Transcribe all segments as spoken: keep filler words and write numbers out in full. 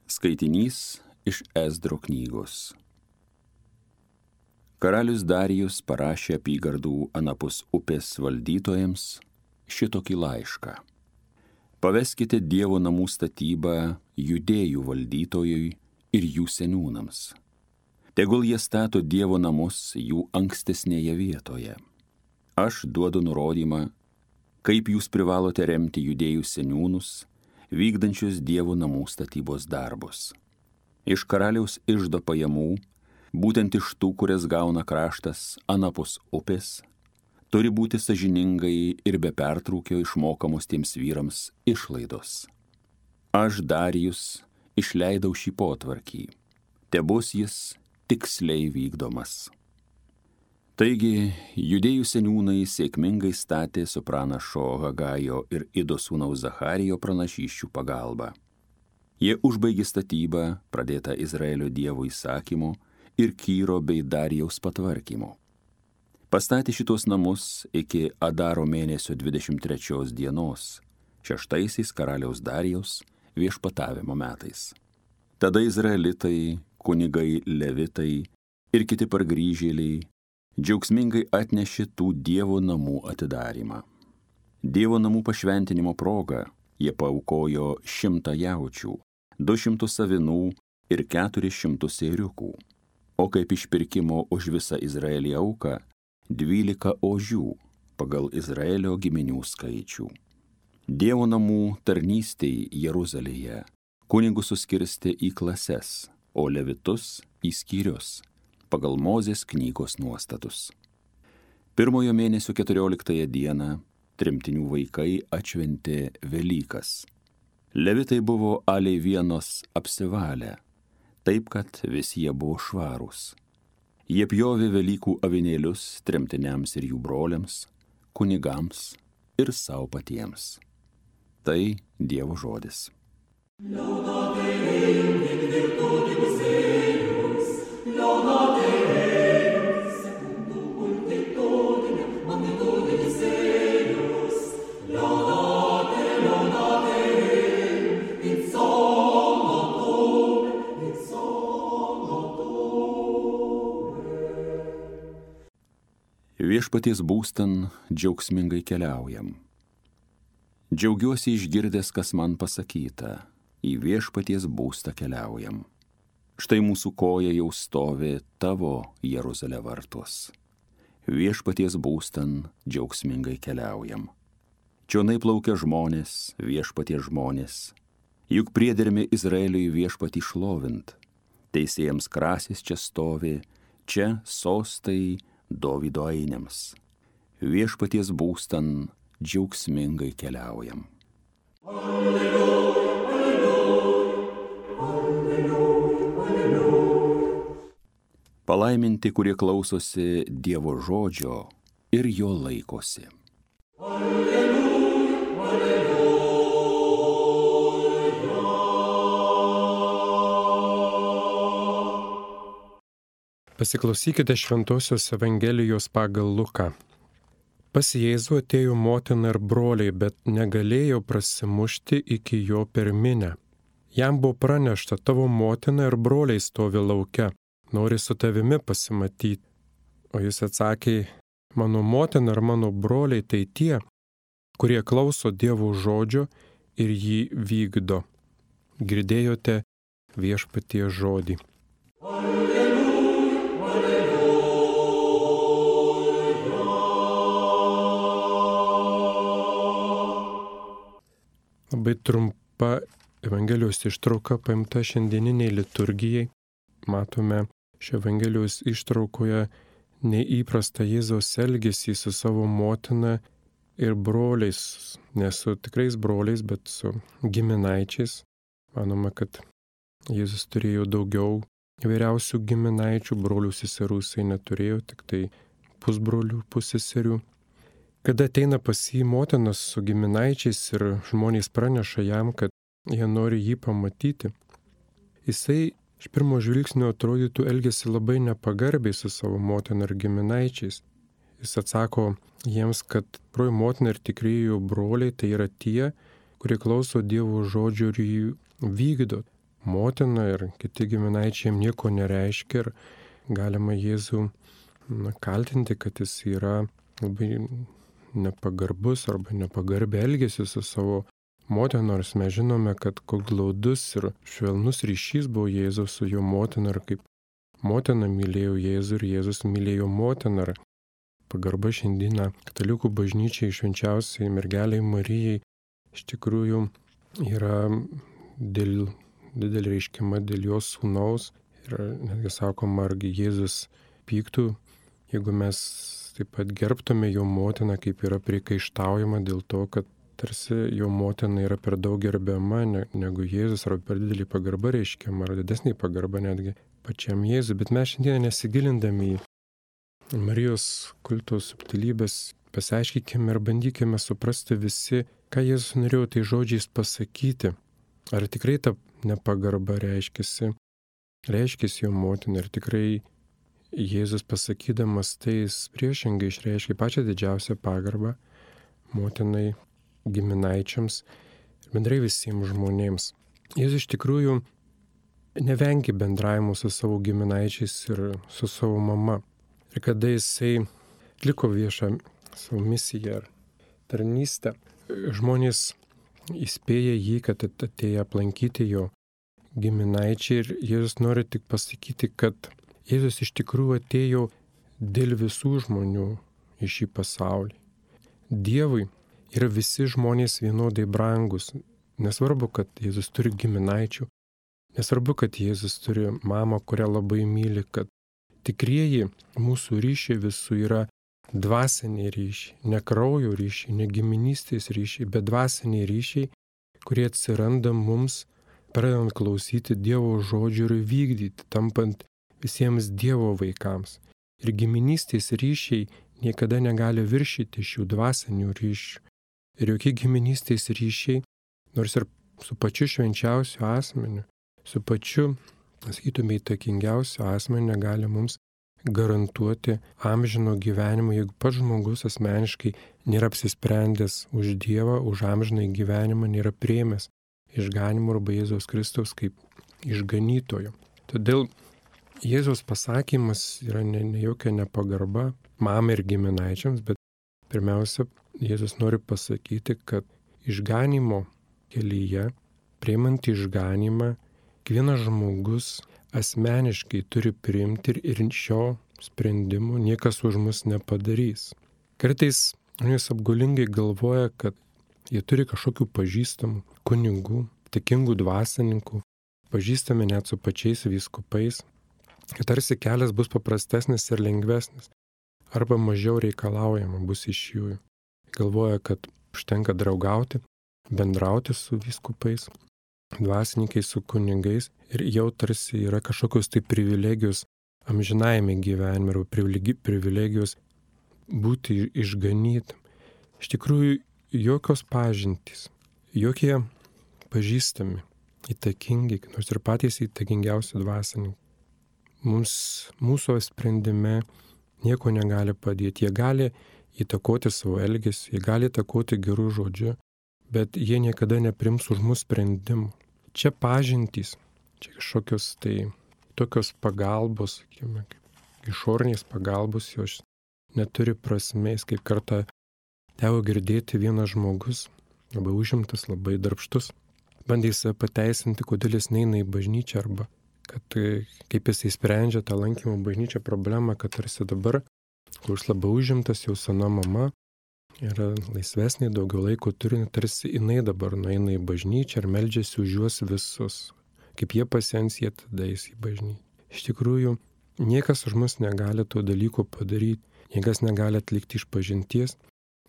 Skaitinys iš Ezdro knygos. Karalius Darijus parašė apygardų anapus upės valdytojams šitokį laišką. Paveskite Dievo namų statybą Judėjų valdytojui ir jų seniūnams. Tegul jie stato Dievo namus jų ankstesnėje vietoje. Aš duodu nurodymą, kaip jūs privalote remti Judėjų seniūnus, vykdančius Dievo namų statybos darbus. Iš karaliaus iždo pajamų, būtent iš tų, kurias gauna kraštas anapus upės, turi būti sąžiningai ir be pertrūkio išmokamos tiems vyrams išlaidos. Aš Darijus išleidau šį potvarkį, tebus jis tiksliai vykdomas. Taigi, Judėjų seniūnai sėkmingai statė su pranašo Hagajo ir Ido sūnaus Zacharijo pranašysčių pagalba. Jie užbaigė statybą, pradėtą Izraelio Dievo įsakymu ir Kyro bei Darijaus patvarkymu. Pastatė šitos namus iki Adaro mėnesio dvidešimt trečios dienos, šeštaisiais karaliaus Darijaus viešpatavimo metais. Tada izraelitai, kunigai, levitai ir kiti pargrįžėliai džiaugsmingai atnešė tų Dievo namų atidarymą. Dievo namų pašventinimo proga jie paaukojo šimtą jaučių, du šimtus avinų ir keturis šimtus ėriukų, o kaip išpirkimo už visą Izraelį auką dvylika ožių pagal Izraelio giminių skaičių. Dievo namų tarnystei Jeruzalėje kunigus suskirstė į klases, o levitus į skyrius pagal Mozės knygos nuostatus. Pirmojo mėnesio keturioliktąją dieną tremtinių vaikai atšventė Velykas. Levitai buvo aliai vienos apsivalę, taip kad visi jie buvo švarūs. Jie pjovė Velykų avinėlius tremtiniams ir jų broliams, kunigams ir savo patiems. Tai Dievo žodis. Viešpaties būstan džiaugsmingai keliaujam. Džiaugiuosi išgirdęs, kas man pasakyta, į viešpaties būstą keliaujam. Štai mūsų koja jau stovi tavo Jeruzalė vartuos. Viešpaties būstan džiaugsmingai keliaujam. Čionai plaukia žmonės, viešpaties žmonės. Juk priedermi Izraeliui viešpatį šlovint. Teisėjams krasis čia stovi, čia sostai Dovydo ainiams. Viešpaties būstan džiaugsmingai keliaujam. Alleluja, alleluja, alleluja, alleluja. Palaiminti, kurie klausosi Dievo žodžio ir jo laikosi. Alleluja, alleluja. Pasiklausykite Šventosios Evangelijos pagal Luką. Pas Jėzų atėjo motina ir broliai, bet negalėjo prasimušti iki jo per minią. Jam buvo pranešta, tavo motina ir broliai stovi lauke, nori su tavimi pasimatyti. O jis atsakė, mano motina ir mano broliai tai tie, kurie klauso Dievo žodžio ir jį vykdo. Girdėjote viešpaties žodį. Labai trumpa Evangelijos ištrauka paimta šiandieniniai liturgijai. Matome šio Evangelijos ištraukoje neįprastą Jėzaus elgesį su savo motina ir broliais, ne su tikrais broliais, bet su giminaičiais. Manoma, kad Jėzus turėjo daugiau vyriausių giminaičių, brolių seserų jisai neturėjo, tik tai pusbrolių, pusseserių. Kada ateina pas jį motinas su giminaičiais ir žmonės praneša jam, kad jie nori jį pamatyti, jisai iš pirmo žvilgsnio atrodytų elgesi labai nepagarbiai su savo motina ir giminaičiais. Jis atsako jiems, kad tikroji motina ir tikrieji broliai tai yra tie, kurie klauso Dievo žodžio ir jį vykdo. motina ir kiti giminaičiai jam nieko nereiškia ir galima Jėzų na, kaltinti, kad jis yra labai nepagarbus arba nepagarbiai elgėsi su savo motina, nors mes žinome, kad koks glaudus ir švelnus ryšys buvo Jėzaus su jo motina ir kaip motina mylėjo Jėzų ir Jėzus mylėjo motiną. Ir pagarba šiandieną katalikų bažnyčiai švenčiausiai mergeliai Marijai iš tikrųjų yra dėl, didelį reiškimą dėl jos sūnaus. Ir netgi sakoma, argi Jėzus pyktų, jeigu mes taip pat gerbtume jo motiną, kaip yra priekaištaujama dėl to, kad tarsi jo motina yra per daug gerbiama negu Jėzus, ar per didelį pagarbą reiškiama, ar didesnį pagarbą netgi pačiam Jėzui. Bet mes šiandien nesigilindami į Marijos kulto subtilybės, pasiaiškykime ir bandykime suprasti visi, ką Jėzus norėjo tai žodžiais pasakyti. Ar tikrai ta nepagarba reiškėsi, reiškėsi jo motina, ir tikrai Jėzus pasakydamas tai priešingai išreiškė pačią didžiausią pagarbą motinai, giminaičiams ir bendrai visiems žmonėms. Jėzus iš tikrųjų nevengė bendravimo su savo giminaičiais ir su savo mama. Ir kada jisai atliko viešą savo misiją ar tarnystę, žmonės įspėja jį, kad atėjo aplankyti jo giminaičiai, ir Jėzus nori tik pasakyti, kad Jėzus iš tikrųjų atėjo dėl visų žmonių į šį pasaulį. Dievui yra visi žmonės vienodai brangus. Nesvarbu, kad Jėzus turi giminaičių, nesvarbu, kad Jėzus turi mamą, kurią labai myli, kad tikrieji mūsų ryšiai visų yra dvasiniai ryšiai, ne kraujo ryšiai, ne giminystės ryšiai, bet dvasiniai ryšiai, kurie atsiranda mums, pradedant klausyti Dievo žodžių ir vykdyti, tampant visiems Dievo vaikams. Ir giminystės ryšiai niekada negali viršyti šių dvasinių ryšių. Ir jokie giminystės ryšiai, nors ir su pačiu švenčiausiu asmeniu, su pačiu, sakytume, įtakingiausiu asmeniu negali mums garantuoti amžino gyvenimo, jeigu pats žmogus asmeniškai nėra apsisprendęs už Dievą, už amžinąjį gyvenimą, nėra priėmęs išganimo arba Jėzaus Kristaus kaip išganytojo. Todėl Jėzaus pasakymas yra ne, ne jokia nepagarba mamai ir giminaičiams, bet pirmiausia, Jėzus nori pasakyti, kad išganimo kelyje, priimant išganimą, kiekvienas žmogus asmeniškai turi priimti ir šio sprendimo niekas už mus nepadarys. Kartais jis apgaulingai galvoja, kad jie turi kažkokių pažįstamų kunigų, tikingų dvasininkų, pažįstami net su pačiais vyskupais, kad tarsi kelias bus paprastesnis ir lengvesnis, arba mažiau reikalaujama bus iš jų. Galvoja, kad užtenka draugauti, bendrauti su vyskupais, dvasininkais, su kunigais, ir jau tarsi yra kažkokios tai privilegijos amžinajame gyvenime, arba privilegijos būti išganytam. Iš tikrųjų, jokios pažintys, jokie pažįstami, įtakingi, nors ir patys įtakingiausi dvasininkai, mums mūsų sprendime nieko negali padėti. Jie gali įtakoti savo elgesį, jie gali įtakoti gerų žodžių, bet jie niekada neprims už mūsų sprendimų. Čia pažintys, čia kažkokios tai tokios pagalbos, sakykime, kaip išorinės pagalbos, jos neturi prasmės. Kaip kartą teko girdėti vienas žmogus, labai užimtas, labai darbštus, bandė save pateisinti, kodėl jis neina į bažnyčią, arba kad kaip jis įsprendžia tą lankymo bažnyčią problemą, kad tarsi dabar, kur jis labai užimtas, jau sena mama, yra laisvesnė, daugiau laiko turi, tarsi jinai dabar nueina į bažnyčią ir meldžiasi už juos visus. Kaip jie pasens, jie tada eis į bažnyčią. Iš tikrųjų, niekas už mus negali to dalyko padaryti, niekas negali atlikti išpažinties,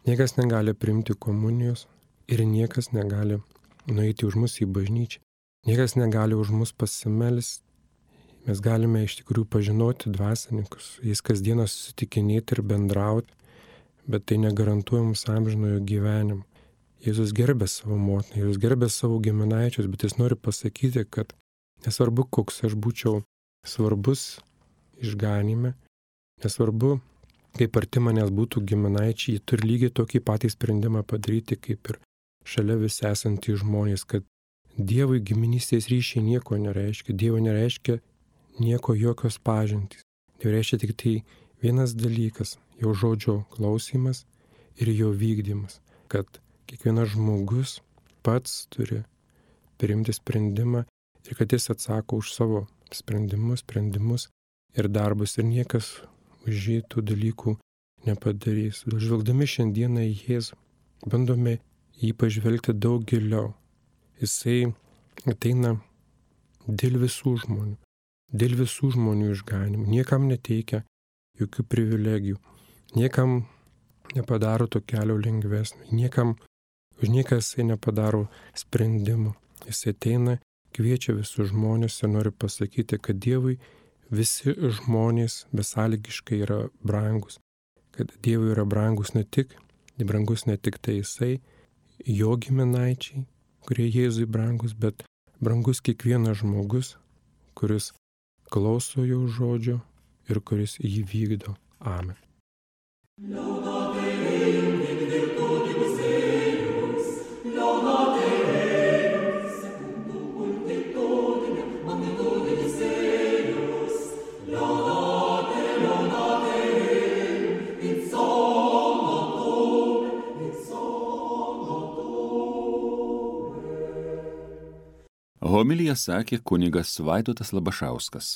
niekas negali priimti komunijos ir niekas negali nueiti už mus į bažnyčią. Niekas negali už mus pasimelsti. Mes galime iš tikrųjų pažinoti dvasininkus, jais kasdieną susitikinėti ir bendrauti, bet tai negarantuoja mums amžinojo gyvenimo. Jėzus gerbė savo motiną, Jėzus gerbė savo giminaičius, bet jis nori pasakyti, kad nesvarbu, koks aš būčiau svarbus išganime, nesvarbu, kaip arti manęs būtų giminaičiai, jie turi lygiai tokį patį sprendimą padaryti, kaip ir šalia visi esantys žmonės, kad Dievui giminystės ryšiai nieko nereiškia. Dievo nereiškia nieko, jokios pažintys. Dievo reiškia tik tai vienas dalykas - jo žodžio klausimas ir jo vykdymas. Kad kiekvienas žmogus pats turi priimti sprendimą ir kad jis atsako už savo sprendimus, sprendimus ir darbus ir niekas už jį tų dalykų nepadarys. Žvelgdami šiandieną į Jėzų, bandome jį pažvelgti daug giliau. Jisai ateina dėl visų žmonių, dėl visų žmonių išganimų. Niekam neteikia jokių privilegijų, niekam nepadaro to kelio lengvesnio, niekam, už nieką jisai nepadaro sprendimų. Jisai ateina, kviečia visus žmonės ir nori pasakyti, kad Dievui visi žmonės besąlygiškai yra brangus, kad Dievui yra brangus ne tik, brangus ne tik tai jisai, jo giminaičiai, kurie Jėzui brangus, bet brangus kiekvienas žmogus, kuris klauso jo žodžio ir kuris jį vykdo. Amen. Homiliją sakė kunigas Vaidotas Labašauskas.